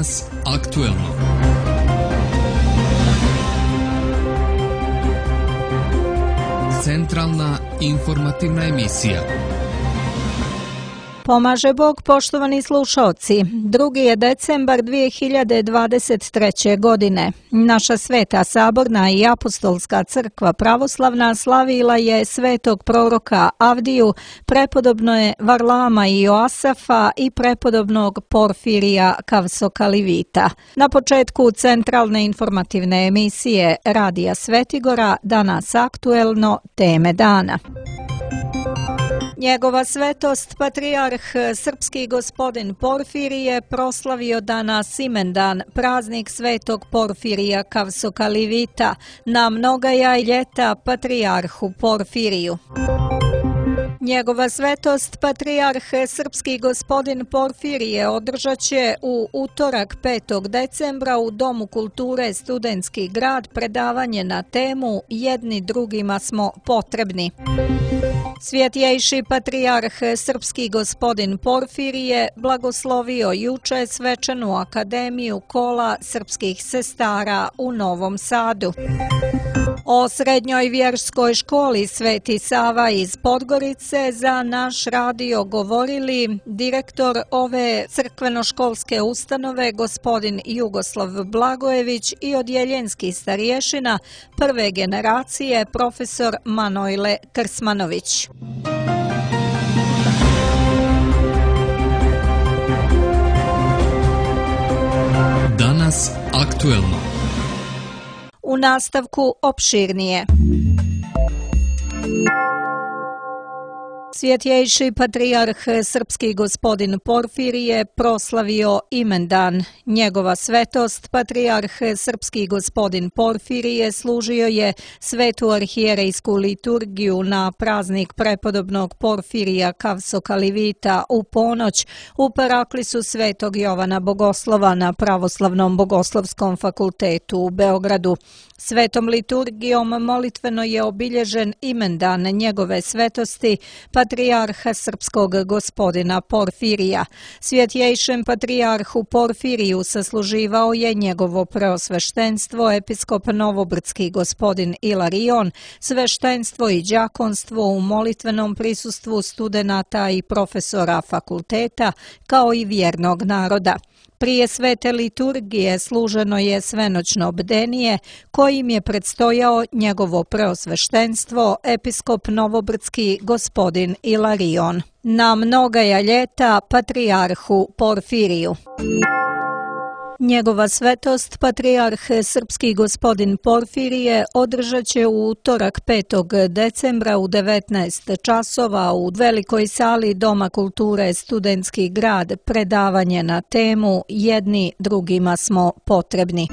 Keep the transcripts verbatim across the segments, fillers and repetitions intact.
Danas aktuelno. Centralna informativna emisija. Pomaže Bog, poštovani slušaoci. Drugi je decembar dvije hiljade dvadeset treće. godine. Naša sveta saborna i apostolska crkva pravoslavna slavila je svetog proroka Avdiju, prepodobne Varlama i Joasafa i prepodobnog Porfirija Kavsokalivita. Na početku centralne informativne emisije Radija Svetigora, danas aktuelno, teme dana. Njegova svetost, patrijarh srpski gospodin Porfirije, proslavio danas imendan, praznik svetog Porfirija Kavsokalivita, na mnoga jaj ljeta patrijarhu Porfiriju. Njegova svetost, patrijarh srpski gospodin Porfirije, održat će u utorak petog decembra u Domu kulture Studentski grad predavanje na temu Jedni drugima smo potrebni. Svjetjejši patrijarh srpski gospodin Porfirije blagoslovio juče svečanu akademiju kola srpskih sestara u Novom Sadu. O srednjoj vjerskoj školi Sveti Sava iz Podgorice za naš radio govorili direktor ove crkveno-školske ustanove gospodin Jugoslav Blagojević i odjeljenski starješina prve generacije profesor Manojle Krsmanović. Danas aktuelno. U nastavku opširnije. Svjetjejši patrijarh srpski gospodin Porfirije proslavio imendan. Njegova svetost, patrijarh srpski gospodin Porfirije, služio je svetu arhijerejsku liturgiju na praznik prepodobnog Porfirija Kavsokalivita u ponoć u paraklisu svetog Jovana Bogoslova na Pravoslavnom bogoslovskom fakultetu u Beogradu. Svetom liturgijom molitveno je obilježen imendan njegove svetosti, patrijarha srpskog gospodina Porfirija. Svjetjejšem patrijarhu Porfiriju sasluživao je njegovo preosveštenstvo, episkop novobrdski gospodin Ilarion, sveštenstvo i đakonstvo u molitvenom prisustvu studenata i profesora fakulteta, kao i vjernog naroda. Prije svete liturgije služeno je svenoćno bdenije, kojim je predstojao njegovo preosveštenstvo, episkop novobrdski gospodin Ilarion. Na mnogaja ljeta patrijarhu Porfiriju. Njegova svetost, patrijarh srpski gospodin Porfirije, održat će u utorak petog decembra u devetnaest časova u velikoj sali Doma kulture Studentski grad predavanje na temu Jedni drugima smo potrebni.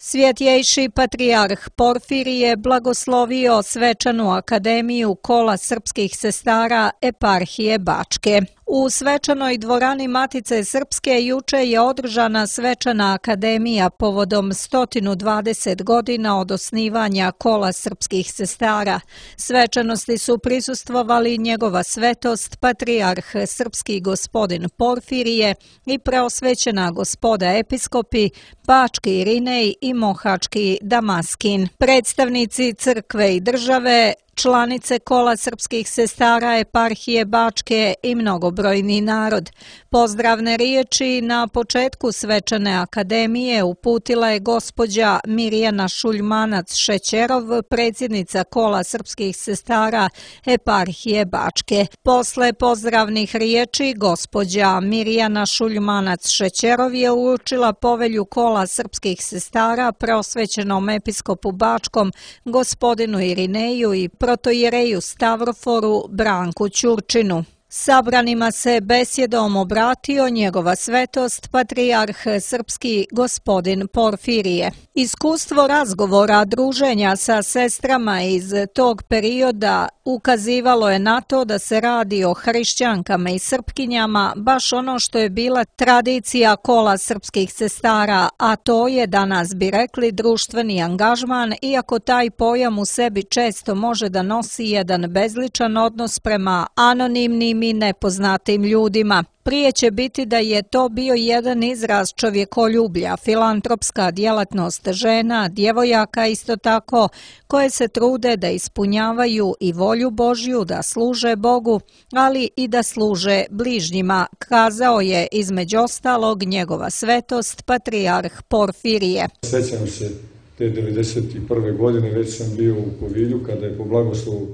Svjetjejši patrijarh Porfirije blagoslovio svečanu akademiju kola srpskih sestara eparhije Bačke. U svečanoj dvorani Matice Srpske juče je održana svečana akademija povodom sto dvadeset godina od osnivanja kola srpskih sestara. Svečanosti su prisustvovali njegova svetost, patrijarh srpski gospodin Porfirije i preosvećena gospoda episkopi, Bački Irinej i Mohački Damaskin. Predstavnici crkve i države, članice kola srpskih sestara eparhije Bačke i mnogobrojni narod. Pozdravne riječi na početku svečane akademije uputila je gospođa Mirjana Šuljmanac-Šećerov, predsjednica kola srpskih sestara eparhije Bačke. Posle pozdravnih riječi gospođa Mirjana Šuljmanac-Šećerov je uručila povelju kola srpskih sestara preosvećenom episkopu Bačkom gospodinu Irineju i protojereju Stavroforu Branku Ćurčinu. Sabranima se besjedom obratio njegova svetost, patrijarh srpski gospodin Porfirije. Iskustvo razgovora, druženja sa sestrama iz tog perioda ukazivalo je na to da se radi o hrišćankama i srpkinjama, baš ono što je bila tradicija kola srpskih sestara, a to je, danas bi rekli, društveni angažman, iako taj pojam u sebi često može da nosi jedan bezličan odnos prema anonimnim poznatim i nepoznatim ljudima. Prije će biti da je to bio jedan izraz čovjekoljublja, filantropska djelatnost žena, djevojaka isto tako, koje se trude da ispunjavaju i volju Božju, da služe Bogu, ali i da služe bližnjima, kazao je između ostalog njegova svetost patrijarh Porfirije. Sjećam se te devedeset prve godine, već sam bio u Kovilju kada je po blagoslovu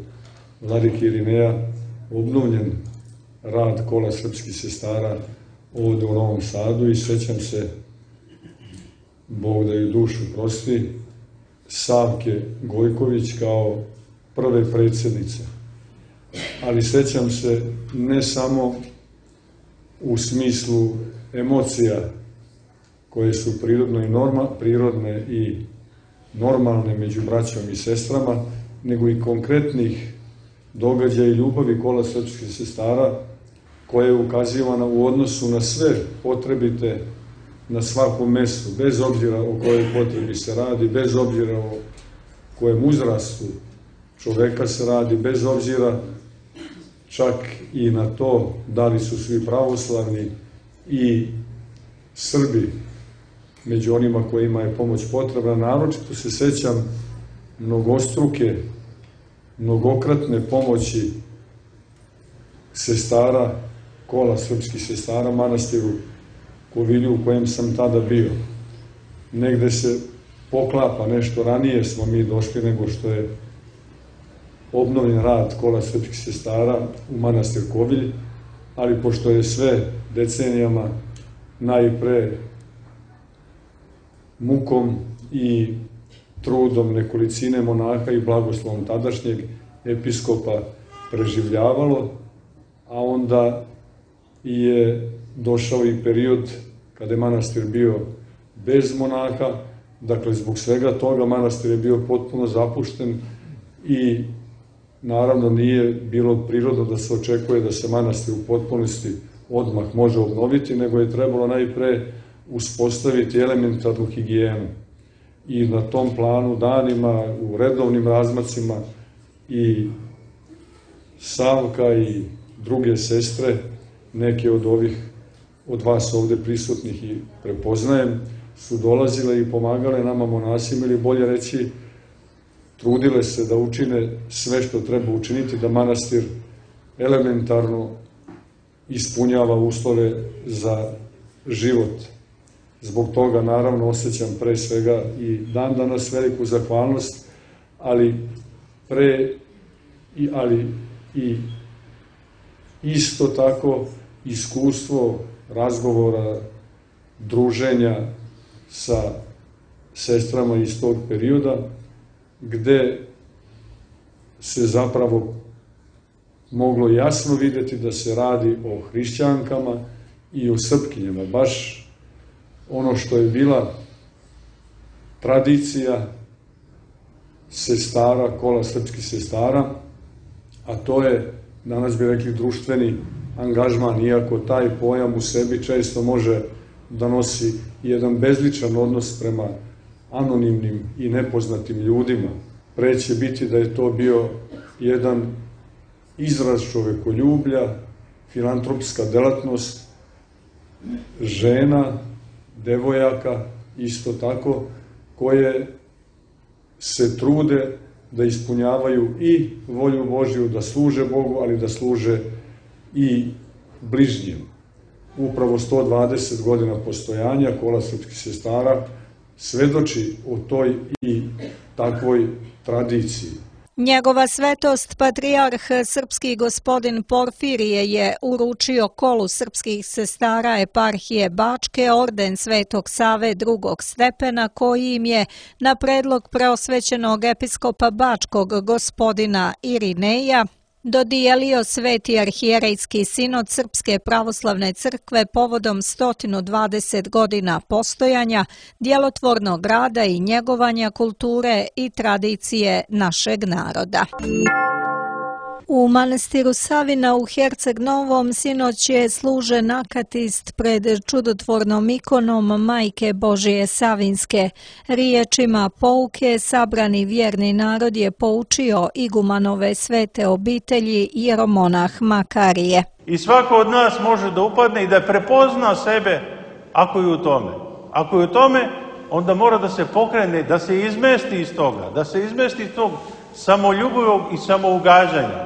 vladike Irineja obnovljen rad kola srpskih sestara ovdje u Novom Sadu i sjećam se, Bog da ju dušu prosti, Savke Gojković kao prve predsjednice. Ali sjećam se ne samo u smislu emocija koje su prirodno i norma, prirodne i normalne među braćom i sestrama, nego i konkretnih događaja i ljubavi kola srpskih sestara koja je ukazivana u odnosu na sve potrebite na svakom mjestu, bez obzira o kojoj potrebi se radi, bez obzira o kojem uzrastu čoveka se radi, bez obzira čak i na to da li su svi pravoslavni i Srbi među onima kojima je pomoć potrebna. Naročito se sećam mnogostruke, mnogokratne pomoći sestara, kola srpskih sestara, manastiru Kovilju u kojem sam tada bio. Negde se poklapa, nešto ranije smo mi došli nego što je obnovljen rad kola srpskih sestara u manastir Kovilj, ali pošto je sve decenijama najpre mukom i trudom nekolicine monaha i blagoslovom tadašnjeg episkopa preživljavalo, a onda je došao i period kada je manastir bio bez monaha, dakle zbog svega toga manastir je bio potpuno zapušten i naravno nije bilo prirodno da se očekuje da se manastir u potpunosti odmah može obnoviti, nego je trebalo najpre uspostaviti elementarnu higijenu. I na tom planu danima, u redovnim razmacima i Savka i druge sestre, neke od ovih od vas ovde prisutnih i prepoznajem, su dolazile i pomagale nama monasima, ili bolje reći, trudile se da učine sve što treba učiniti da manastir elementarno ispunjava uslove za život. Zbog toga, naravno, osjećam pre svega i dan danas veliku zahvalnost, ali pre i, ali i isto tako iskustvo razgovora, druženja sa sestrama iz tog perioda, gde se zapravo moglo jasno vidjeti da se radi o hrišćankama i o srpkinjama, baš ono što je bila tradicija sestara, kola srpskih sestara, a to je, danas bi rekli, društveni angažman, iako taj pojam u sebi često može da nosi jedan bezličan odnos prema anonimnim i nepoznatim ljudima. Pre će biti da je to bio jedan izraz čovekoljublja, filantropska delatnost žena, devojaka, isto tako, koje se trude da ispunjavaju i volju Božju, da služe Bogu, ali da služe i bližnjim. Upravo sto dvadeset godina postojanja kola srpskih sestara svedoči o toj i takvoj tradiciji. Njegova svetost patrijarh srpski gospodin Porfirije je uručio kolu srpskih sestara eparhije Bačke orden Svetog Save drugog stepena, koji im je na predlog preosvećenog episkopa Bačkog gospodina Irineja dodijelio Sveti arhijerejski sinod Srpske pravoslavne crkve povodom sto dvadeset godina postojanja, djelotvornog rada i njegovanja kulture i tradicije našeg naroda. U manastiru Savina u Herceg Novom sinoć je služen akatist pred čudotvornom ikonom Majke Božije Savinske. Riječima pouke sabrani vjerni narod je poučio igumanove svete obitelji jeromonah Makarije. I svako od nas može da upadne i da prepozna sebe ako je u tome. Ako je u tome, onda mora da se pokrene, da se izmesti iz toga, da se izmesti iz tog samoljubivog i samougađanja.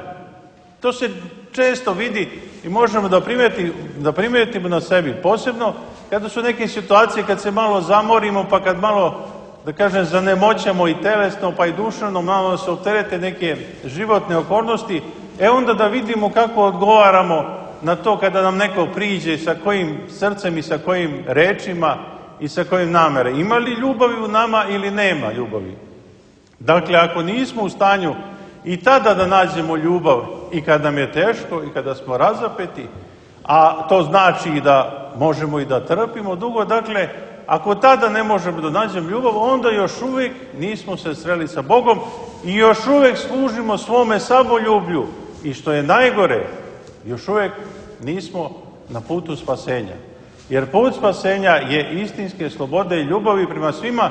To se često vidi i možemo da primetimo, da primetimo na sebi. Posebno kada su neke situacije, kad se malo zamorimo, pa kad malo, da kažem, zanemoćamo i telesno, pa i duševno, malo se opterete neke životne okolnosti, e onda da vidimo kako odgovaramo na to kada nam neko priđe, sa kojim srcem i sa kojim rečima i sa kojim namere. Ima li ljubavi u nama ili nema ljubavi? Dakle, ako nismo u stanju i tada da nađemo ljubav i kad nam je teško i kada smo razapeti, a to znači i da možemo i da trpimo dugo, dakle, ako tada ne možemo da nađemo ljubav, onda još uvijek nismo se sreli sa Bogom i još uvijek služimo svome samoljublju. I što je najgore, još uvijek nismo na putu spasenja. Jer put spasenja je istinske slobode i ljubavi prema svima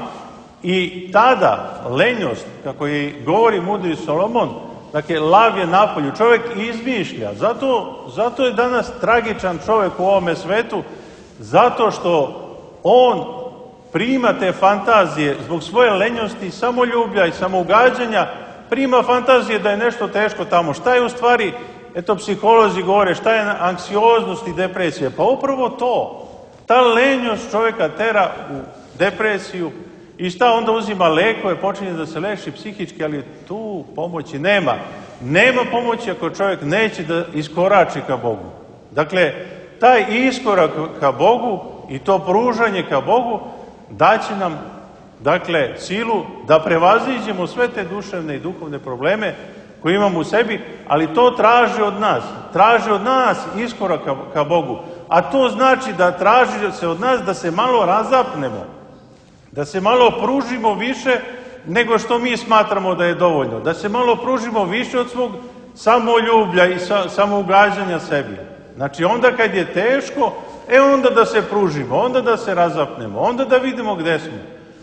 i tada lenjost, kako je govori mudri Solomon, dakle, lav je napolju, čovjek izmišlja. Zato, zato je danas tragičan čovjek u ovome svetu, zato što on prima te fantazije zbog svoje lenjosti, samoljublja i samougađanja, prima fantazije da je nešto teško tamo. Šta je u stvari, eto psiholozi govore, šta je anksioznost i depresija? Pa upravo to. Ta lenjost čovjeka tera u depresiju i šta onda uzima lekove, počinje da se leči psihički, ali tu pomoći nema. Nema pomoći ako čovjek neće da iskorači ka Bogu. Dakle, taj iskorak ka Bogu i to pružanje ka Bogu daće nam, dakle, silu da prevaziđemo sve te duševne i duhovne probleme koje imamo u sebi, ali to traži od nas. Traži od nas iskorak ka, ka Bogu. A to znači da traži se od nas da se malo razapnemo, da se malo pružimo više nego što mi smatramo da je dovoljno, da se malo pružimo više od svog samoljublja i sa, samougađanja sebi. Znači, onda kad je teško, e onda da se pružimo, onda da se razapnemo, onda da vidimo gde smo.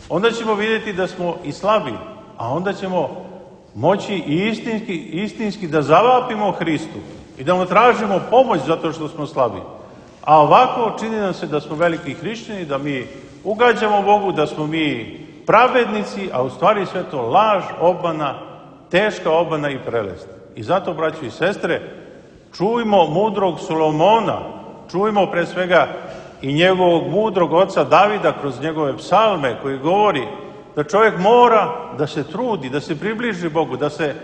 Onda ćemo vidjeti da smo i slabi, a onda ćemo moći i istinski, istinski da zavapimo Hristu i da mu tražimo pomoć zato što smo slabi. A ovako čini nam se da smo veliki hrišćani, da mi ugađamo Bogu, da smo mi pravednici, a u stvari sve to laž, obmana, teška obmana i prelest. I zato, braćo i sestre, čujmo mudrog Solomona, čujmo pre svega i njegovog mudrog oca Davida kroz njegove psalme koji govori da čovjek mora da se trudi, da se približi Bogu, da se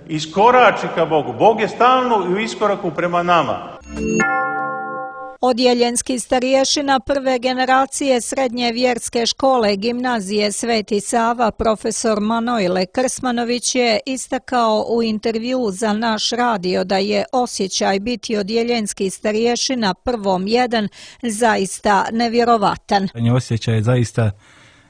iskorači ka Bogu. Bog je stalno u iskoraku prema nama. Odjeljenski starješina prve generacije srednje vjerske škole gimnazije Sveti Sava, profesor Manojle Krsmanović je istakao u intervju za naš radio da je osjećaj biti odjeljenski starješina prvom jedan zaista nevjerovatan. Osjećaj je zaista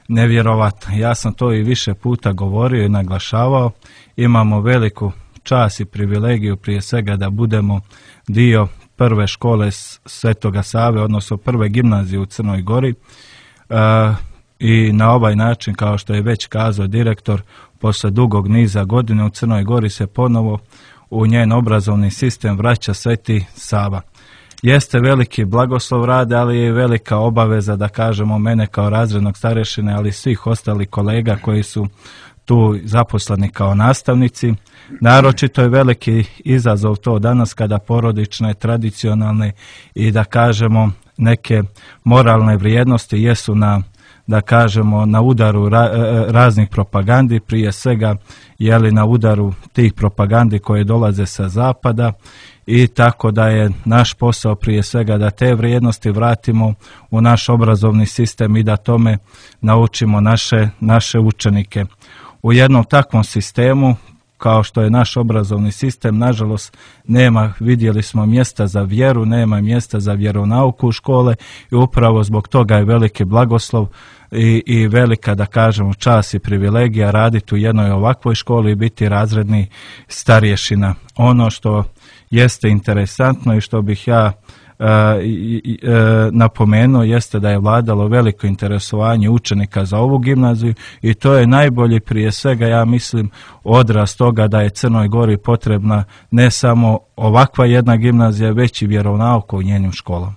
nevjerovatan. Ja sam to i više puta govorio i naglašavao. Imamo veliku čast i privilegiju prije svega da budemo dio prve škole Svetoga Save, odnosno prve gimnazije u Crnoj Gori. E, I na ovaj način, kao što je već kazao direktor, posle dugog niza godine u Crnoj Gori se ponovo u njen obrazovni sistem vraća Sveti Sava. Jeste veliki blagoslov rade, ali je velika obaveza, da kažemo, mene kao razrednog starešine, ali svih ostalih kolega koji su tu zaposleni kao nastavnici. Naročito je veliki izazov to danas kada porodične, tradicionalne i, da kažemo, neke moralne vrijednosti jesu na, da kažemo, na udaru ra, raznih propagandi, prije svega je li na udaru tih propagandi koje dolaze sa zapada, i tako da je naš posao prije svega da te vrijednosti vratimo u naš obrazovni sistem i da tome naučimo naše, naše učenike. U jednom takvom sistemu, kao što je naš obrazovni sistem, nažalost nema, vidjeli smo, mjesta za vjeru, nema mjesta za vjeronauku u škole i upravo zbog toga je veliki blagoslov i, i velika, da kažemo, čast i privilegija raditi u jednoj ovakvoj školi i biti razredni starješina. Ono što jeste interesantno i što bih ja i, i, e, napomenuo jeste da je vladalo veliko interesovanje učenika za ovu gimnaziju i to je najbolji prije svega, ja mislim, odraz toga da je Crnoj Gori potrebna ne samo ovakva jedna gimnazija, već i vjeronauka u njenim školama.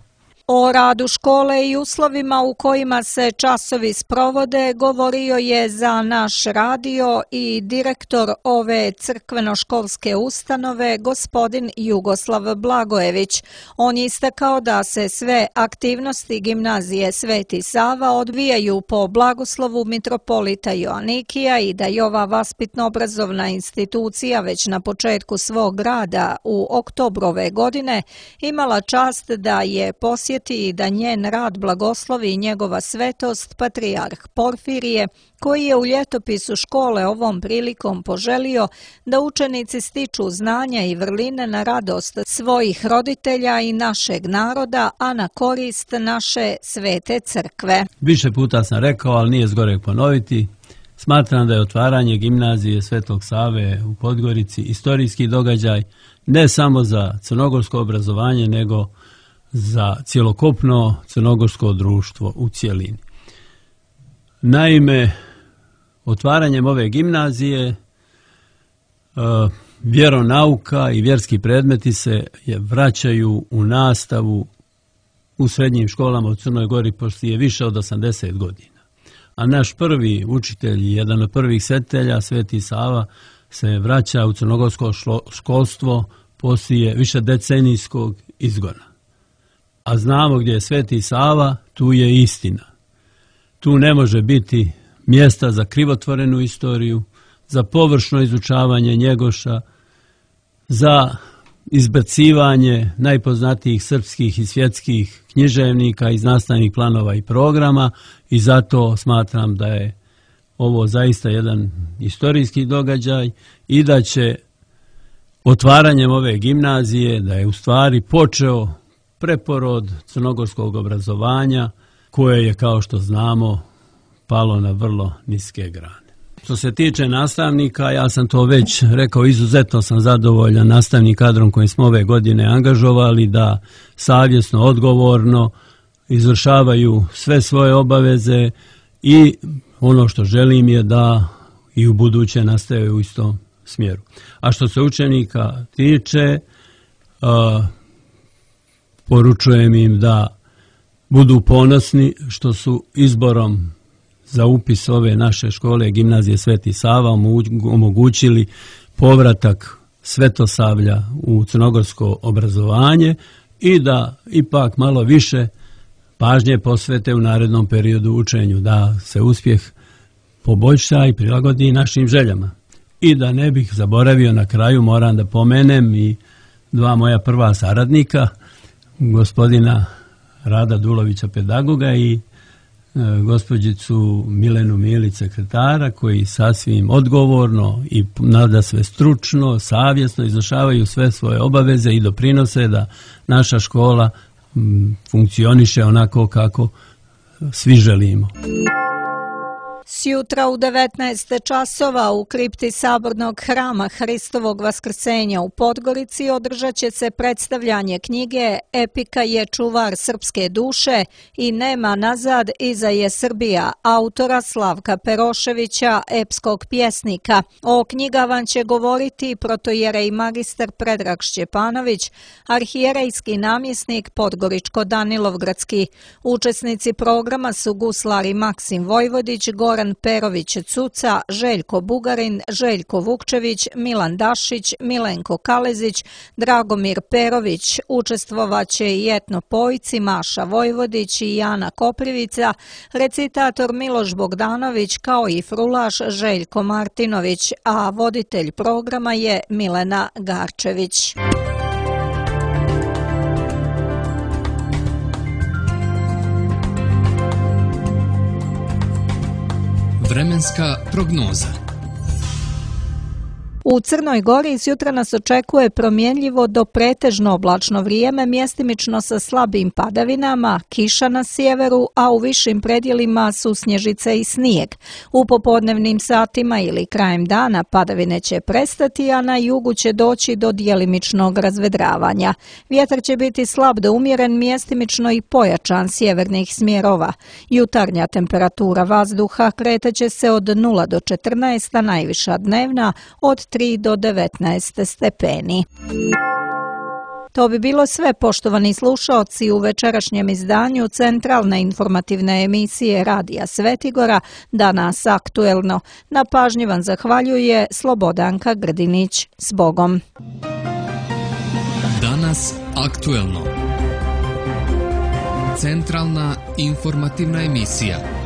O radu škole i uslovima u kojima se časovi sprovode govorio je za naš radio i direktor ove crkveno-školske ustanove, gospodin Jugoslav Blagojević. On je istakao da se sve aktivnosti gimnazije Sveti Sava odvijaju po blagoslovu mitropolita Joanikija i da je ova vaspitno-obrazovna institucija već na početku svog rada u oktobru ove godine imala čast da je posjetila i da njen rad blagoslovi njegova svetost patrijarh Porfirije, koji je u ljetopisu škole ovom prilikom poželio da učenici stiču znanja i vrline na radost svojih roditelja i našeg naroda, a na korist naše svete crkve. Više puta sam rekao, ali nije zgoreg ponoviti. Smatram da je otvaranje gimnazije Svetog Save u Podgorici istorijski događaj ne samo za crnogorsko obrazovanje, nego za cjelokupno crnogorsko društvo u cjelini. Naime, otvaranjem ove gimnazije vjeronauka i vjerski predmeti se vraćaju u nastavu u srednjim školama u Crnoj Gori poslije više od osamdeset godina. A naš prvi učitelj, jedan od prvih svetitelja, Sveti Sava, se vraća u crnogorsko školstvo poslije više decenijskog izgona. A znamo gdje je Sveti Sava, tu je istina. Tu ne može biti mjesta za krivotvorenu istoriju, za površno izučavanje Njegoša, za izbacivanje najpoznatijih srpskih i svjetskih književnika iz nastavnih planova i programa i zato smatram da je ovo zaista jedan istorijski događaj i da će otvaranjem ove gimnazije, da je u stvari počeo preporod crnogorskog obrazovanja koje je, kao što znamo, palo na vrlo niske grane. Što se tiče nastavnika, ja sam to već rekao, izuzetno sam zadovoljan nastavnim kadrom koji smo ove godine angažovali da savjesno, odgovorno izvršavaju sve svoje obaveze i ono što želim je da i u buduće nastave u istom smjeru. A što se učenika tiče, uh, poručujem im da budu ponosni što su izborom za upis ove naše škole Gimnazije Sveti Sava omogućili povratak Svetosavlja u crnogorsko obrazovanje i da ipak malo više pažnje posvete u narednom periodu učenju, da se uspjeh poboljša i prilagodi našim željama. I da ne bih zaboravio, na kraju moram da pomenem i dva moja prva saradnika, gospodina Rada Dulovića, pedagoga, i e, gospođicu Milenu Milić, sekretara, koji sasvim odgovorno i nada sve stručno, savjesno izvršavaju sve svoje obaveze i doprinose da naša škola m, funkcioniše onako kako svi želimo. Sjutra u devetnaest časova u kripti Sabornog hrama Hristovog Vaskrsenja u Podgorici održat će se predstavljanje knjige Epika je čuvar srpske duše i nema nazad, iza je Srbija, autora Slavka Peroševića, epskog pjesnika. O knjigama će govoriti protojerej magistar Predrag Šćepanović, arhijerejski namjesnik Podgoričko-Danilovgradski. Učesnici programa su guslari Maksim Vojvodić, Goran Perović-Cuca, Željko Bugarin, Željko Vukčević, Milan Dašić, Milenko Kalezić, Dragomir Perović. Učestvovaće i etnopojci Maša Vojvodić i Jana Koprivica, recitator Miloš Bogdanović kao i frulaš Željko Martinović, a voditelj programa je Milena Garčević. Vremenska prognoza. U Crnoj Gori sjutra nas očekuje promjenljivo do pretežno oblačno vrijeme, mjestimično sa slabim padavinama, kiša na sjeveru, a u višim predjelima su snježice i snijeg. U popodnevnim satima ili krajem dana padavine će prestati, a na jugu će doći do djelimičnog razvedravanja. Vjetar će biti slab do umjeren, mjestimično i pojačan sjevernih smjerova. Jutarnja temperatura vazduha kretaće se od nula do četrnaest, a najviša dnevna od tri do devetnaest stepeni. To bi bilo sve, poštovani slušaoci, u večerašnjem izdanju centralne informativne emisije Radija Svetigora, Danas aktuelno. Na pažnji vam zahvaljuje Slobodanka Grdinić. S Bogom. Danas aktuelno. Centralna informativna emisija.